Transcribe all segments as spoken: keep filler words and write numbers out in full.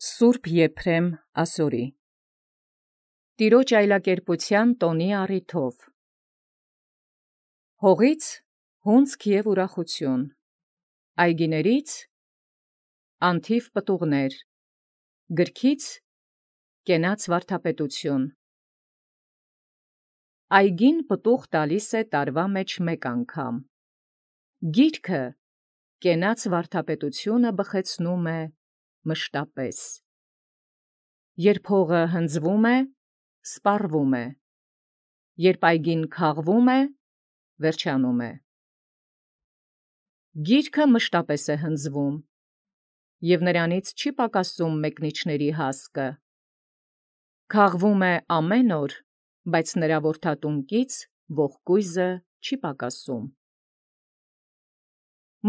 Սուրբ Եփրեմ ասորի Տիրոջ այլակերպութեան տոնի առիթով Հողից հունձք և ուրախութիւն, այգիներից անթիվ պտուղներ, գրքից կենաց վարդապետութիւն։ Այգին պտուղ տալիս է տարվա մեջ մեկ անգամ, գիրքը կենաց վարդապետութիւնը բխեցնում է մշտապես։ Երբ հողը հնձվում է, սպառվում է, երբ այգին քաղվում է, վերջանում է։ Գիրքը մշտապես է հնձվում, և նրանից չի պակասում մեկնիչների հասկը։ Քաղվում է ամեն օր, բայց նրա որդատունկից ողկույզը չի պակասում։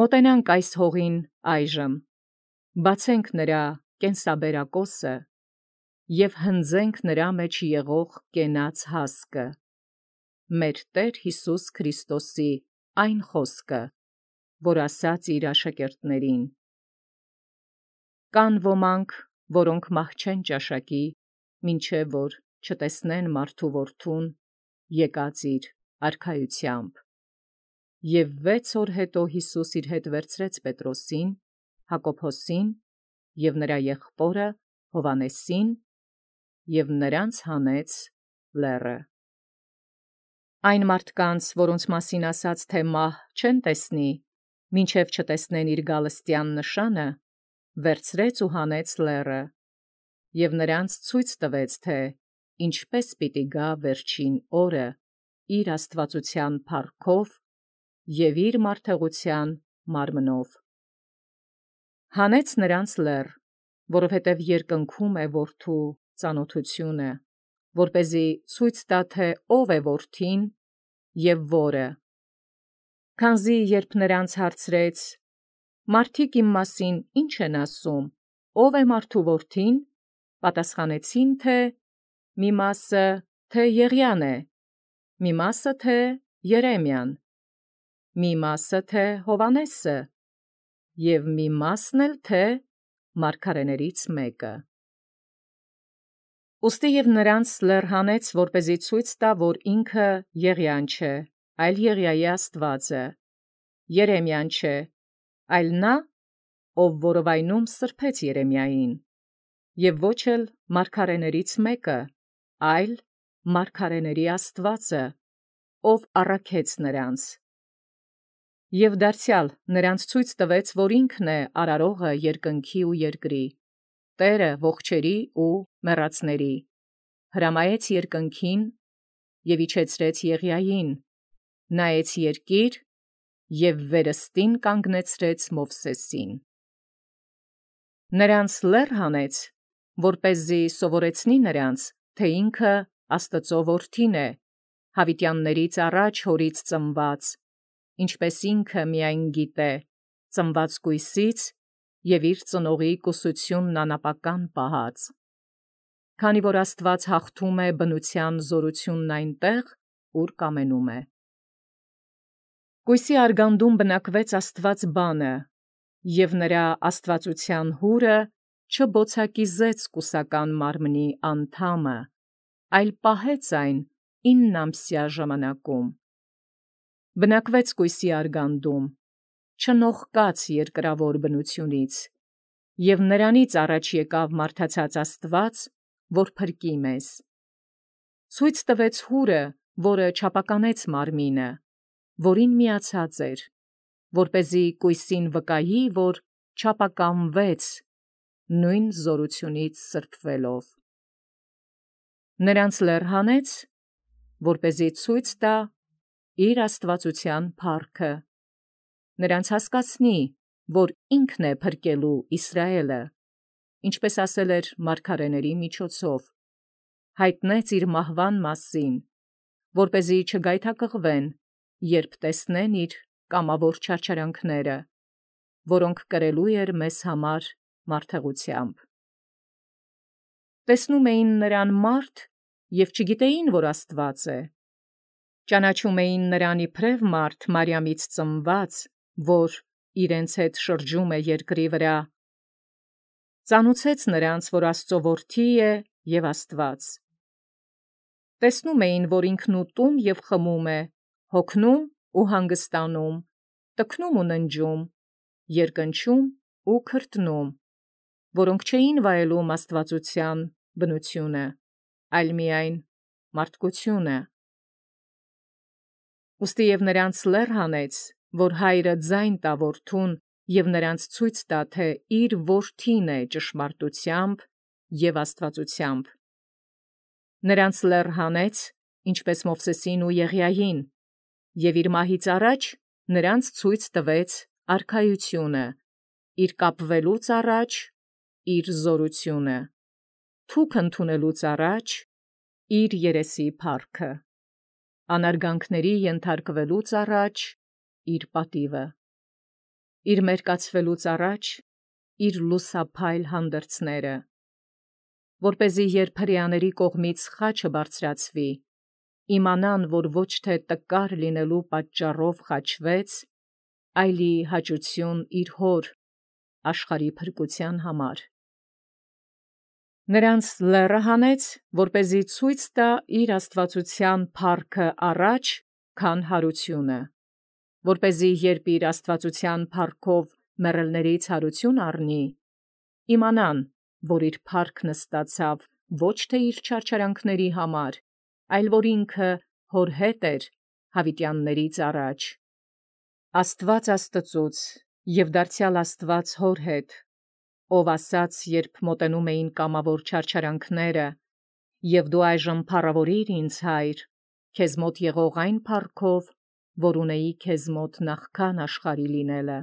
Մոտենանք այս հողին այժմ, բացենք նրա կենսաբերակոսը և հնձենք նրա մեջ եղող կենաց հասկը, մեր Տեր Յիսուս Քրիստոսի այն խոսքը, որ ասաց իր աշակերտներին. «Կան ոմանք, որոնք մահ չեն ճաշակի, մինչև որ չտեսնեն մարդու որդուն եկած իր արքայութեամբ»։ Եւ վեց օր հետո Յիսուս իր հետ վերցրեց Պետրոսին, Հակոբոսին և նրա եղբորը Հովհաննեսին և նրանց հանեց լեռը։ Այն մարդկանց, որոնց մասին ասաց, թէ մահ չեն տեսնի, մինչև չտեսնեն իր գալստեան նշանը, վերցրեց ու հանեց լեռը, և նրանց ցույց տվեց, թէ ինչպէս պիտի գա վերջին օրը իր աստվածութեան փառքով և իր մարդեղութեան մարմնով։ Հանեց նրանց լեռ, որովհետև երկնքում է որդու ծանոթությունը, որպեսզի ցույց տայ, թէ ով է որդին և որը։ Քանզի երբ նրանց հարցրեց. «Մարդիկ իմ մասին ի՞նչ են ասում, ո՞վ է մարդու որդին», պատասխանեցին, թէ մի մասը, թէ Եղիան է, մի մասը, թէ Երեմիան, մի մասը, թէ Հովհաննեսը, և մի մասն էլ, թէ մարգարեներից մեկը։ Ուստի և նրանց լեռ հանեց, որպեսզի ցույց տայ, որ ինքը Եղիան չէ, այլ Եղիայի աստվածը, Երեմիան չէ, այլ նա, ով որովայնում սրբեց Երեմիային, և ոչ էլ մարգարեներից մեկը, այլ մարգարեների աստվածը, ով առաքեց նրանց։ Եւ դարձեալ նրանց ցույց տվեց, որ ինքն է արարողը երկնքի ու երկրի, Տէրը ողջերի ու մեռածների, հրամայեց երկնքին և իջեցրեց Եղիային, նայեց երկիր և վերստին կանգնեցրեց Մովսեսին։ Նրանց լեռ հանեց, որպեսզի սովորեցնի նրանց, թէ ինքը Աստուծոյ որդին է, յաւիտեաններից առաջ հորից ծնված, ինչպէս ինքը միայն գիտէ, ծնված կոյսից և իր ծնողի կուսութիւնն անապական պահած։ Քանի որ Աստուած հաղթում է բնութեան զօրութիւնն այնտեղ, ուր կամենում է։ Կոյսի արգանդում բնակվեց Աստուած բանը, և նրա աստվածութեան հուրը չբոցակիզեց կուսական մարմնի անդամը, այլ պահեց այն իննամսյա ժամանակում։ Բնակվեց կոյսի արգանդում, չնողկաց երկրաւոր բնութիւնից, և նրանից առաջ եկավ մարդացած Աստուած, որ փրկի մեզ։ Ցույց տվեց հուրը, որը չափականեց մարմինը, որին միացած էր, որպեսզի կոյսին վկայի, որ չափականվեց նոյն զօրութիւնից սրբովելով։ Նրանց լեռ հանեց, որպեսզի ցույց տայ իր աստվածութեան փառքը, նրանց հասկացնի, որ ինքն է փրկելու Իսրայէլը, ինչպէս ասել էր մարգարեաց միջոցով, յայտնեց իր մահուան մասին, որպեսզի չգայթակղվեն, երբ տեսնեն իր կամավոր չարչարանքները, որոնք կրելու էր մեզ համար մարդեղութեամբ։ Տեսնում էին նրան մարդ և չգիտեին, որ Աստուած է. ճանաչում էին նրան իբրև մարդ Մարիամից ծնված, որ իրենց հետ շրջում է երկրի վրա, ծանուցեց նրանց, որ Աստծո որդի է և Աստված։ Տեսնում էին, որ ինքնուտում և խմում է, հոգնում ու հանգստանում, տքնում ու ննջում, երկնչում ու քրտնում, որոնք չէին վայելում աստվածության բնությունը, այլ միայն մարդկությունը։ Ուստի և նրանց լեռ հանեց, որ հայրը ձայն տա որդուն և նրանց ցույց տա, թե իր որդին է ճշմարտությամբ և աստվածությամբ։ Նրանց լեռ հանեց, ինչպես Մովսեսին ու Եղիային, և իր մահից առաջ նրանց ցույց տվեց արքայությունը, իր կապվելուց առաջ իր զորությունը, թուք ընդունելուց առաջ իր երեսի փառքը, անարգանքների ենթարկվելուց առաջ իր պատիվը, իր մերկացվելուց առաջ իր լուսափայլ հանդերձները, որպեսզի երբ հրեաների կողմից խաչը բարձրացվի, իմանան, որ ոչ թե տկար լինելու պատճառով խաչվեց, այլ ի հաճություն իր հոր աշխարհի փրկության համար։ Նրանց լեռը հանեց, որպեսզի ցույց տա իր աստվածության փառքը առաջ, քան հարությունը, որպեսզի երբ իր աստվածության փառքով մեռելներից հարություն առնի, իմանան, որ իր փառքն ստացավ ոչ թե իր չարչարանքների համար, այլ որ ինքը հոր հետ էր հավիտյաններից առաջ։ Աստված Աստծուց և դարձյալ Աստված հոր հետ, ով ասաց, երբ մոտենում էին կամավոր չարչարանքները. «Եվ դու այժմ փառավորիր ինձ, Հայր, քեզ մոտ եղող այն փառքով, որ ունեի քեզ մոտ նախքան աշխարհի լինելը»։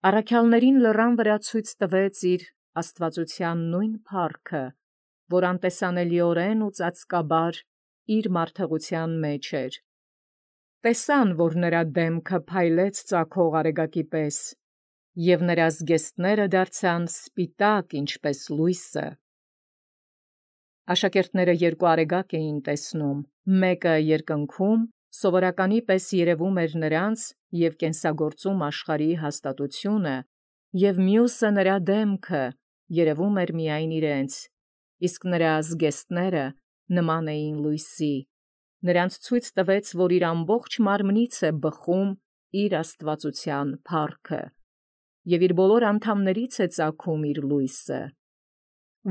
Առաքյալներին լեռան վրա ցույց տվեց իր աստվածության նույն փառքը, որ անտեսանելիորեն ու ծածկաբար իր մարդեղության մեջ էր։ Տեսան, որ նրա դեմքը փայլեց ծագող արեգակի պես, և նրա զգեստները դարձան սպիտակ, ինչպես լույսը։ Աշակերտները երկու արեգակ էին տեսնում, մեկը երկնքում սովորականի պես երևում էր նրանց և կենսագործում աշխարհի հաստատությունը, և մյուսը նրա դեմքը երևում էր միայն իրենց, իսկ նրա զգեստները նման էին լույսի։ Նրանց ցույց տվեց, որ իր ամբողջ մարմնից է բխում իր աստվածության փառքը, և իր բոլոր անդամներից է ծագում իր լույսը։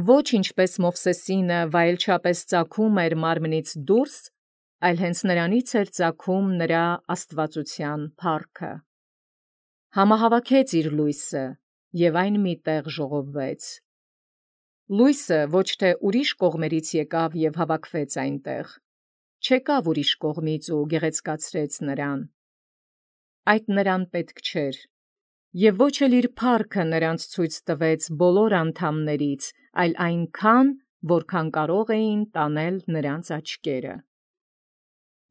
Ոչ ինչպես Մովսեսինը վայելչապես ծագում էր մարմնից դուրս, այլ հենց նրանից էր ծագում նրա աստվածության փառքը։ Համահավաքեց իր լույսը, և այն մի տեղ ժողովվեց։ Լույսը ոչ թե ուրիշ կողմերից եկավ և հավաքվեց այնտեղ, չեկավ ուրիշ կողմից ու գեղեցկացրեց նրան։ Այդ նրան պետք չէր, և ոչ էլ իր փառքը նրանց ցույց տվեց բոլոր անդամներից, այլ այնքան, որքան կարող էին տանել նրանց աչքերը։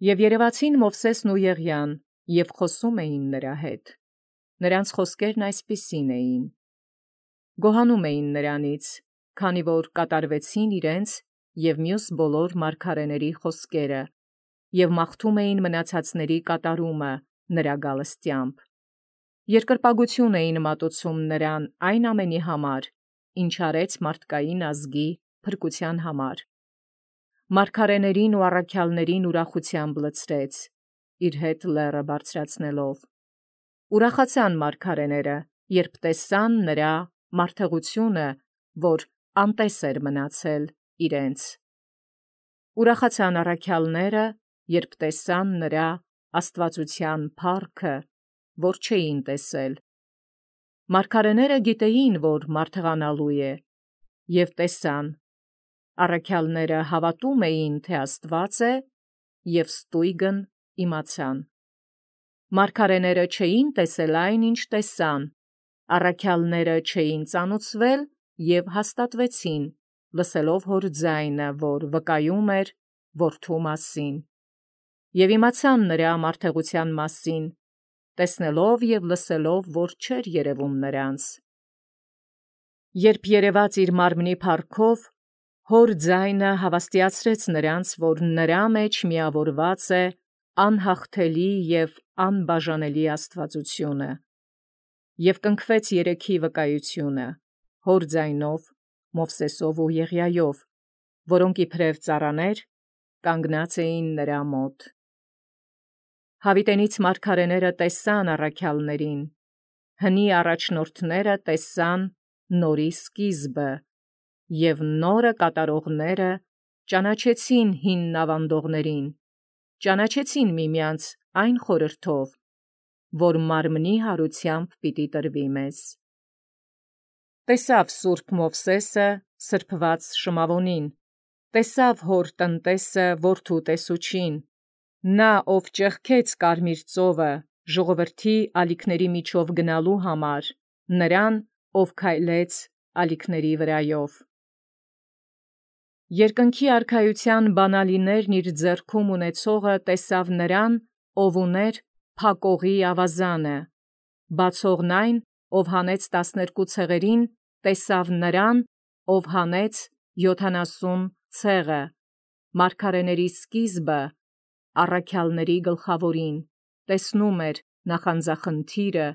Եվ երևացին Մովսեսն ու Եղիան, և խոսում էին նրա հետ։ Նրանց խոսքերն այսպիսին էին. գոհանում էին նրանից, քանի որ կատարվեցին իրենց և մյուս բոլոր մարգարեների խոսքերը, և մաղթում էին մնացածների կատարումը նրա գալստյամբ։ Երկրպագություն էին մատուցում նրան այն ամենի համար, ինչ արեց մարդկային ազգի փրկության համար։ Մարգարեներին ու առաքյալներին ուրախությամբ լցրեց, իր հետ լեռը բարձրացնելով։ Ուրախացան մարգարեները, երբ տեսան նրա մարդեղությունը, որ անտես էր մնացել իրենց։ Ուրախացան առաքյալները, երբ տեսան նրա աստվածության փառքը, որ չէին տեսել։ Մարգարեները գիտեին, որ մարդեղանալու է, և տեսան։ Առաքյալները հավատում էին, թե Աստված է, և ստույգն իմացան։ Մարգարեները չէին տեսել այն, ինչ տեսան, առաքյալները չէին ծանուցվել և հաստատվեցին, լսելով հոր ձայնը, որ վկայում էր որդու մասին, և իմացան նրա մարդեղության մասին, տեսնելով և լսելով, որ չէր երևում նրանց։ Երբ երևաց իր մարմնի փառքով, հոր ձայնը հավաստիացրեց նրանց, որ նրա մեջ միավորված է անհաղթելի և անբաժանելի աստվածությունը, և կնքվեց երեքի վկայությունը, հոր ձայնով, Մովսեսով ու Եղիայով, որոնք իբրև ծառաներ կանգնած էին նրա մոտ։ Հավիտենից մարգարեները տեսան առաքյալներին, հնի առաջնորդները տեսան նորի սկիզբը, և նորը կատարողները ճանաչեցին հինն ավանդողներին, ճանաչեցին միմյանց այն խորհրդով, որ մարմնի հարությամբ պիտի տրվի մեզ։ Տեսավ սուրբ Մովսեսը սրբված շմավոնին, տեսավ հոր տնտեսը որդու տեսուչին, նա, ով ճեղքեց կարմիր ծովը ժողովրդի ալիքների միջով գնալու համար, նրան, ով քայլեց ալիքների վրայով։ Երկնքի արքայության բանալիներն իր ձեռքում ունեցողը տեսավ նրան, ով ուներ փակողի ավազանը, բացողն այն, ով հանեց տասներկու ցեղերին, տեսավ նրան, ով հանեց յոթանասուն ցեղը, մարգարեների սկիզբը, առաքյալների գլխավորին, տեսնում էր նախանձախնդիրը,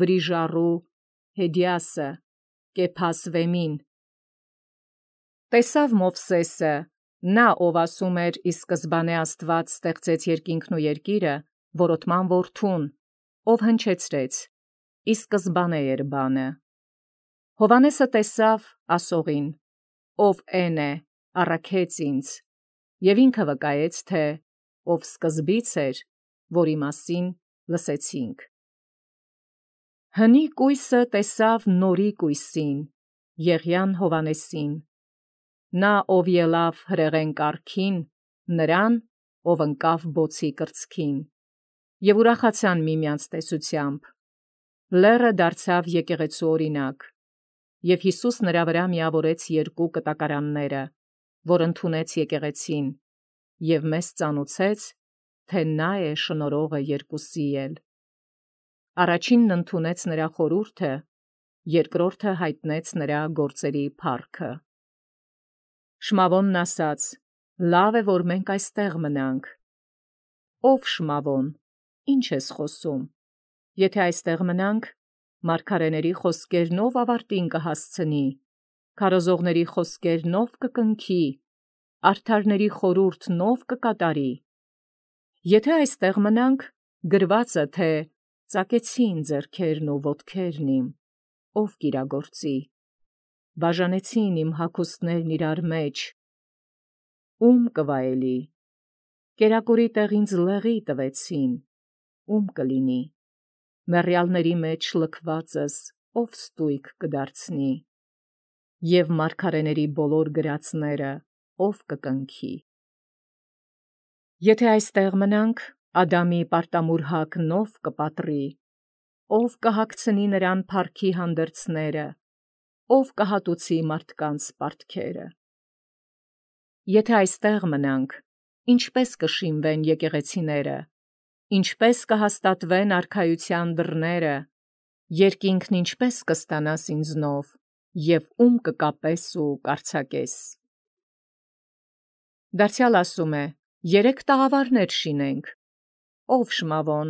վրիժառու Հեդիասը, Կեփասվեմին։ Տեսավ Մովսեսը, նա, ով ասում էր ի սկզբանե Աստված ստեղծեց երկինքն ու երկիրը, որոտման որդուն, ով հնչեցրեց, ի սկզբանե էր բանը։ Հովհաննեսը տեսավ ասողին, ով էն է, առաքեց ինձ, և ինքը վկայեց, թե ով սկզբից էր, որի մասին լսեցինք։ Հնի կույսը տեսավ նորի կույսին, Եղիան Հովհաննեսին, նա, ով ելավ հրեղեն կառքին, նրան, ով ընկավ բոցի կրծքին, և ուրախացան միմյանց տեսությամբ։ Լեռը դարձավ եկեղեցու օրինակ, և Յիսուս նրա վրա միավորեց երկու կտակարանները, որ ընդունեց եկեղեցին, և մեզ ծանուցեց, թե նա է շնորհողը երկուսի էլ։ Առաջինն ընդունեց նրա խորհուրդը, երկրորդը հայտնեց նրա գործերի փառքը։ Շմավոնն ասաց. «Լավ է, որ մենք այստեղ մնանք»։ Ով Շմավոն, ի՞նչ ես խոսում։ Եթե այստեղ մնանք, մարգարեների խոսքերն ով ավարտին կհասցնի, քարոզողների խոսքերն ով կկնքի, արդարների խորհուրդն ով կկատարի։ Եթե այստեղ մնանք, գրված է, թե ծակեցին ձեռքերն ու ոտքերն իմ, ով կիրագործի, բաժանեցին իմ հագուստներն իրար մեջ, ո՞ւմ կվայելի, կերակուրի տեղ ինձ լեղի տվեցին, ո՞ւմ կլինի, մեռյալների մեջ լքվածս ով ստույգ կդարձնի, և մարգարեների բոլոր գրածները ով կկնքի։ Եթե այստեղ մնանք, Ադամի պարտամուրհակն ով կպատրի, ով կհագցնի նրան փառքի հանդերձները, ով կհատուցի մարդկանց պարտքերը։ Եթե այստեղ մնանք, ինչպե՞ս կշինվեն եկեղեցիները, ինչպե՞ս կհաստատվեն արքայության դռները, երկինքն ինչպե՞ս կստանաս ինձնով, և ո՞ւմ կկապես ու կարձակես։ Դարձյալ ասում է. երեք տաղավարներ շինենք։ Ով Շմավոն,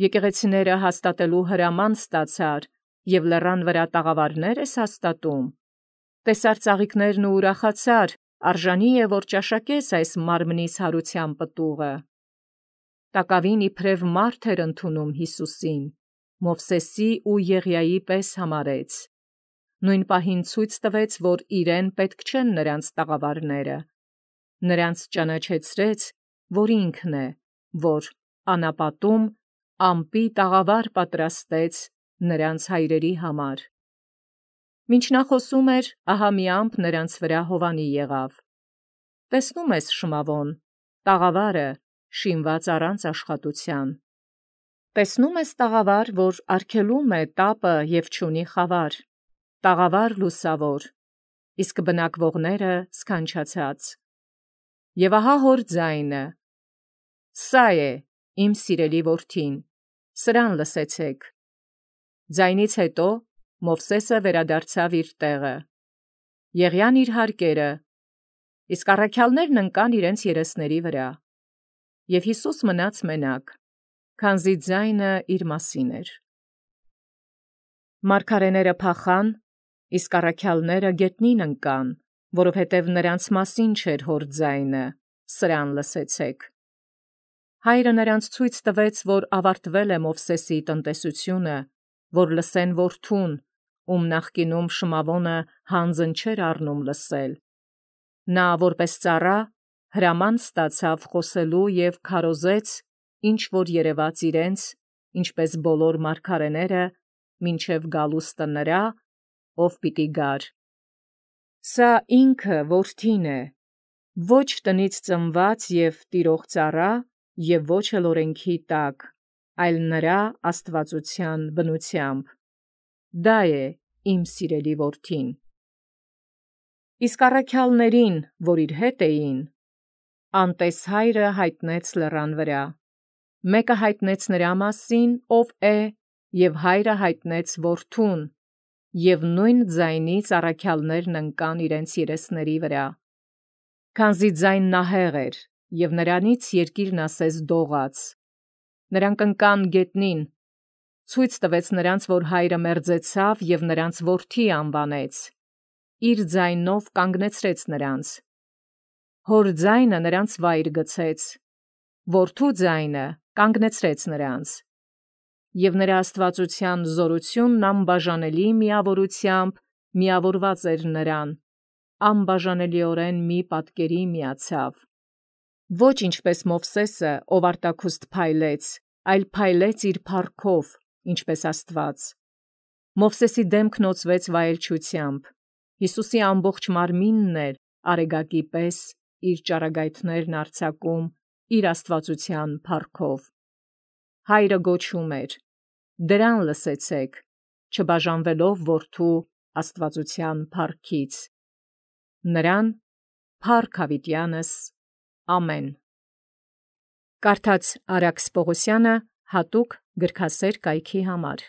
եկեղեցիները հաստատելու հրաման ստացար, և լեռան վրա տաղավարներ ես հաստատում։ Տեսար ծաղիկներն ու ուրախացար, արժանի է, որ ճաշակես այս մարմնիս հարության պտուղը։ Տակավին իբրև մարդ էր ընդունում Հիսուսին, Մովսեսի ու Եղիայի պես համարեց։ Նույն պահին ցույց տվեց, որ իրեն պետք չեն նրանց տաղավարները։ Նրանց ճանաչեցրեց, որ ինքն է, որ անապատում ամպի տաղավար պատրաստեց նրանց հայրերի համար։ Մինչ նա խոսում էր, ահա մի ամպ նրանց վրա հովանի եղավ։ Տեսնում ես, Շմավոն, տաղավարը շինված առանց աշխատության։ Տեսնում ես տաղավար, որ արգելում է տապը և չունի խավար, տաղավար լուսավոր, իսկ բնակվողները սքանչացած։ Եվ ահա հոր ձայնը. «Սա է իմ սիրելի որդին, սրան լսեցեք»։ Ձայնից հետո Մովսեսը վերադարձավ իր տեղը, Եղիան իր հարկերը, իսկ առաքյալներն ընկան իրենց երեսների վրա, և Հիսուս մնաց մենակ, քանզի ձայնը իր մասին էր։ Մարգարեները փախան, իսկ առաքյալները գետնին ընկան, որովհետև նրանց մասին չէր հոր ձայնը, սրան լսեցեք։ Հայրը նրանց ցույց տվեց, որ ավարտվել է Մովսեսի տնտեսությունը, որ լսեն որդուն, ում նախկինում Շմավոնը հանձն չէր առնում լսել։ Նա որպես ծառա հրաման ստացավ խոսելու և քարոզեց, ինչ որ երևաց իրենց, ինչպես բոլոր մարգարեները, մինչև գալուստը նրա, ով պիտի գար։ Սա ինքը որդին է, ոչ տնից ծնված և տիրող ծառա, և ոչ էլ օրենքի տակ, այլ նրա աստվածության բնությամբ։ Դա է իմ սիրելի որդին։ Իսկ առաքյալներին, որ իր հետ էին, անտես հայրը հայտնեց լեռան վրա։ Մեկը հայտնեց նրա մասին, ով է, և հայրը հայտնեց որդուն, և նույն ձայնից առաքյալներն ընկան իրենց երեսների վրա։ Քանզի ձայնն ահեղ էր, և նրանից երկիրն ասես դողաց։ Նրանք ընկան գետնին, ցույց տվեց նրանց, որ հայրը մերձեցավ և նրանց որդի անվանեց, իր ձայնով կանգնեցրեց նրանց։ Հոր ձայնը նրանց վայր գցեց, որդու ձայնը կանգնեցրեց նրանց։ Եվ նրա աստվածության զորությունն անբաժանելի միավորությամբ միավորված էր նրան, անբաժանելիորեն մի պատկերի միացավ։ Ոչ ինչպես Մովսեսը, ով արտաքուստ փայլեց, այլ փայլեց իր փառքով, ինչպես Աստված։ Մովսեսի դեմքն օծվեց վայելչությամբ, Հիսուսի ամբողջ մարմինն էր արեգակի պես իր ճառագայթներն արձակում իր աստվածության փառքով։ Հայրը գոչում էր. «Դրան լսեցեք», չբաժանվելով որդու աստվածության փառքից։ Նրան փառք հավիտյանս, ամեն։ Կարդաց Արաքս Պողոսյանը հատուկ գրքասեր կայքի համար։